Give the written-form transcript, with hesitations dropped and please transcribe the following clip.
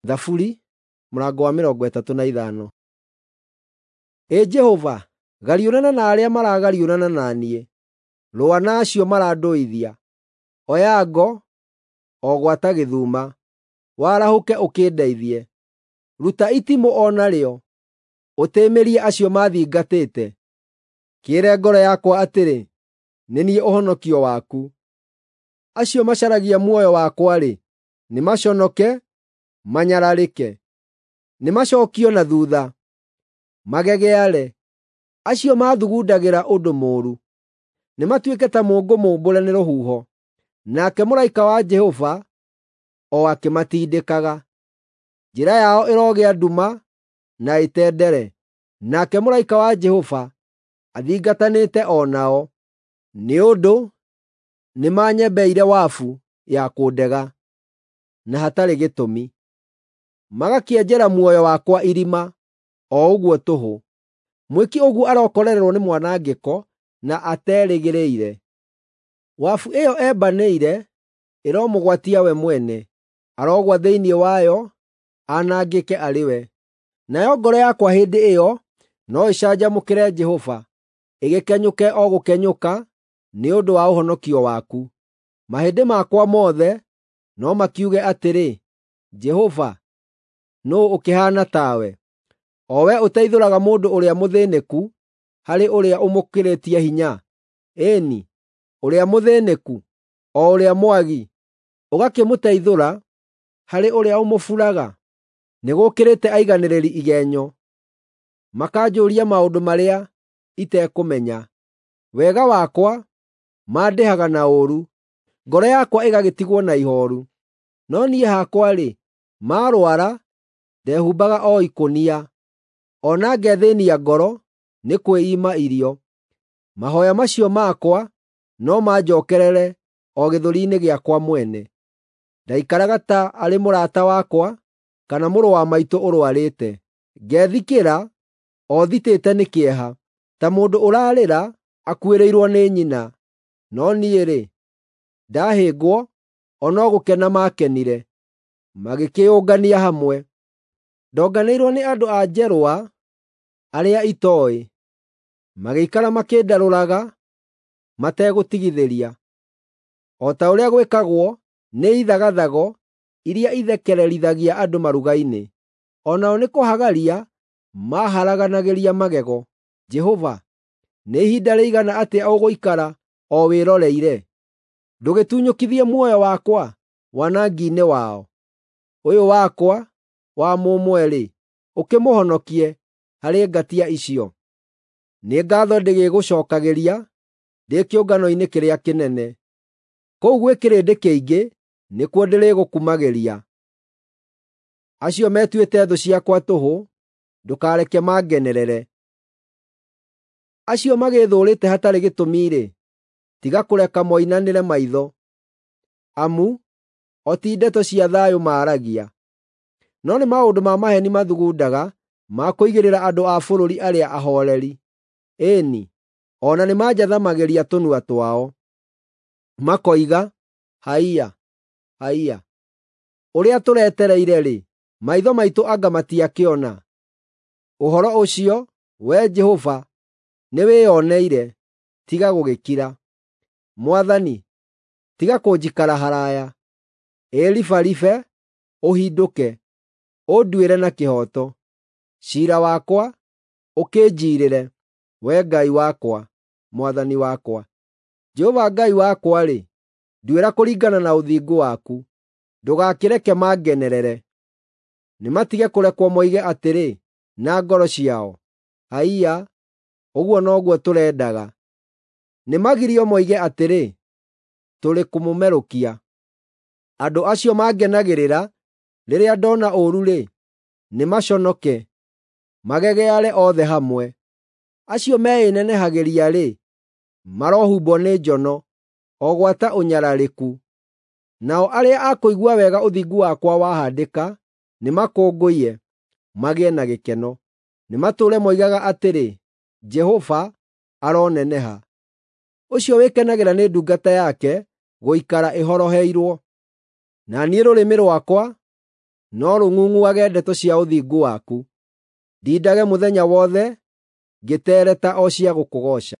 Thaburi mũrango wa 35. Ĩ Jehova, gariũrana na arĩa maragariũrana na niĩ, rũa na acio marandũithia. Oya ngo, o gwata gĩthuma, warahũke ũkĩndeithie. Ruta itimũ o narĩo, ũtĩĩmĩrie acio maathingatĩte. Kĩĩre ngoro yakwa atĩrĩ, “Nĩ niĩ ũhonokio waku.” Acio macaragia muoyo wakwa-rĩ, nĩmaconoke, manyararĩke. Nĩmacookio na thuutha, magegeare, acio maathugundagĩra ũndũ mũũru. Nĩmatuĩke ta mũũngũ mũũmbũre nĩ rũhuho, nake mũraika wa Jehova o akĩmatindĩkaga. Njĩra yao ĩrogĩa nduma na ĩtendere, nake mũraika wa Jehova athingatanĩte o nao, nĩ ũndũ nĩmanyembeire wabu ya kũndega na hatarĩ gĩtũmi, magakĩenjera muoyo wakwa irima, o ũguo tũhũ. Mwĩki ũguo arokorererwo nĩ mwanangĩko na aterĩgĩrĩire. Wabu ĩyo embanĩire ĩromũgwatia we mwene, arogwa thĩinĩ wayo, anangĩke arĩ we. Nayo ngoro yakwa hĩndĩ ĩyo no ĩcanjamũkĩre Jehova, ĩgĩkenyũke o gũkenyũka nĩ ũndũ wa ũhonokio waku. Mahĩndĩ makwa mothe no makiuge atĩrĩ, “Jehova, nũũ ũkĩhaana tawe, o we ũteithũraga mũndũ ũrĩa mũthĩĩnĩku harĩ ũrĩa ũmũkĩrĩtie hinya, ĩĩ-ni, ũrĩa mũthĩĩnĩku, o ũrĩa mwagi, ũgakĩmũteithũra harĩ ũrĩa ũmũburaga?” Nĩgũkĩrĩte aiganĩrĩri igenyo, makanjũũria maũndũ marĩa itekũmenya. Wega wakwa mandĩhaga na ũũru, ngoro yakwa ĩgagĩtigwo na ihooru. No niĩ hakwa-rĩ, maarũara, ndehumbaga o ikũnia, o na ngethĩĩnia ngoro nĩ kwĩima irio. Mahooya macio makwa no manjookerere o gĩthũri-inĩ gĩakwa mwene. Ndaikaraga ta arĩ mũrata wakwa kana mũrũ wa maitũ ũrũarĩte. Ngethikĩra o thitĩte nĩ kĩeha, ta mũndũ ũrarĩra akuĩrĩirwo nĩ nyina. No niĩ-rĩ, ndahĩngwo, o no gũkena maakenire, magĩkĩĩũngania hamwe. Ndonganĩirwo nĩ andũ a njerũa arĩa itooĩ, magĩikara makĩndarũraga mategũtigithĩria, o ta ũrĩa gwĩkagwo nĩ ithagathago iria ithekererithagia andũ maruga-inĩ. O nao nĩ kũhagaria maaharaganagĩria magego. Jehova, nĩ ihinda rĩigana atĩa ũgũikara o wĩroreire? Ndũgĩtunyũkithie muoyo wakwa wanangi-inĩ wao. Ũyũ wakwa wa mũmwe-rĩ, ũkĩmũhonokie harĩ ngatia icio. Nĩ ngaatho ndĩgĩgũcookagĩria ndĩ kĩũngano-inĩ kĩrĩa kĩnene. Kũu gwĩ kĩrĩndĩ kĩingĩ nĩkuo ndĩrĩgũkumagĩria. Acio metuĩte thũ ciakwa tũhũ, ndũkareke mangenerere. Acio magĩĩthũũrĩte hatarĩ gĩtũmi-rĩ, tiga kũreka moinanĩre maitho, amu o ti ndeto cia thayũ maaragia, no nĩ maũndũ ma maheeni mathugundaga ma kũigĩrĩra andũ a bũrũri arĩa ahooreri. Ĩĩ-ni, o na nĩmanjathamagĩria tũnua twao, makoiga, “Haiya! Haiya! Ũrĩa tũretereire-rĩ, maitho maitũ anga matiakĩona?” Ũhoro ũcio, Wee Jehova, nĩwĩoneire; tiga gũgĩkira. Mwathani, tiga kũnjikara haraaya. Ĩribaribe, ũhindũke, ũnduĩre na kĩhooto. Ciira wakwa, ũkĩnjiirĩre, Wee Ngai wakwa, Mwathani wakwa. Jehova Ngai wakwa-rĩ, nduĩra kũringana na ũthingu waku, ndũgakĩreke mangenerere. Nĩmatige kũrekwo moige atĩrĩ na ngoro ciao, “Haiya, ũguo noguo tũrendaga.” Nĩmagirio moige atĩrĩ, “Tũrĩ kũmũmerũkia.” Andũ acio mangenagĩrĩra rĩrĩa ndoona ũũru-rĩ, nĩmaconoke, magegeare othe hamwe. Acio meĩnenehagĩria-rĩ, marohumbwo nĩ njono, o gwata ũnyararĩku. Nao arĩa a kũigua wega ũthingu wakwa wahaandĩka nĩmakũngũiye, magĩe na gĩkeno. Nĩmatũũre moigaga atĩrĩ, “Jehova aroneneha, ũcio wĩkenagĩra nĩ ndungata yake gũikara ĩhoroheirwo.” Na niĩ rũrĩmĩ rwakwa no rũng'ung'uage ndeto cia ũthingu waku. Ndindage mũthenya wothe ngĩteereta o cia gũkũgooca.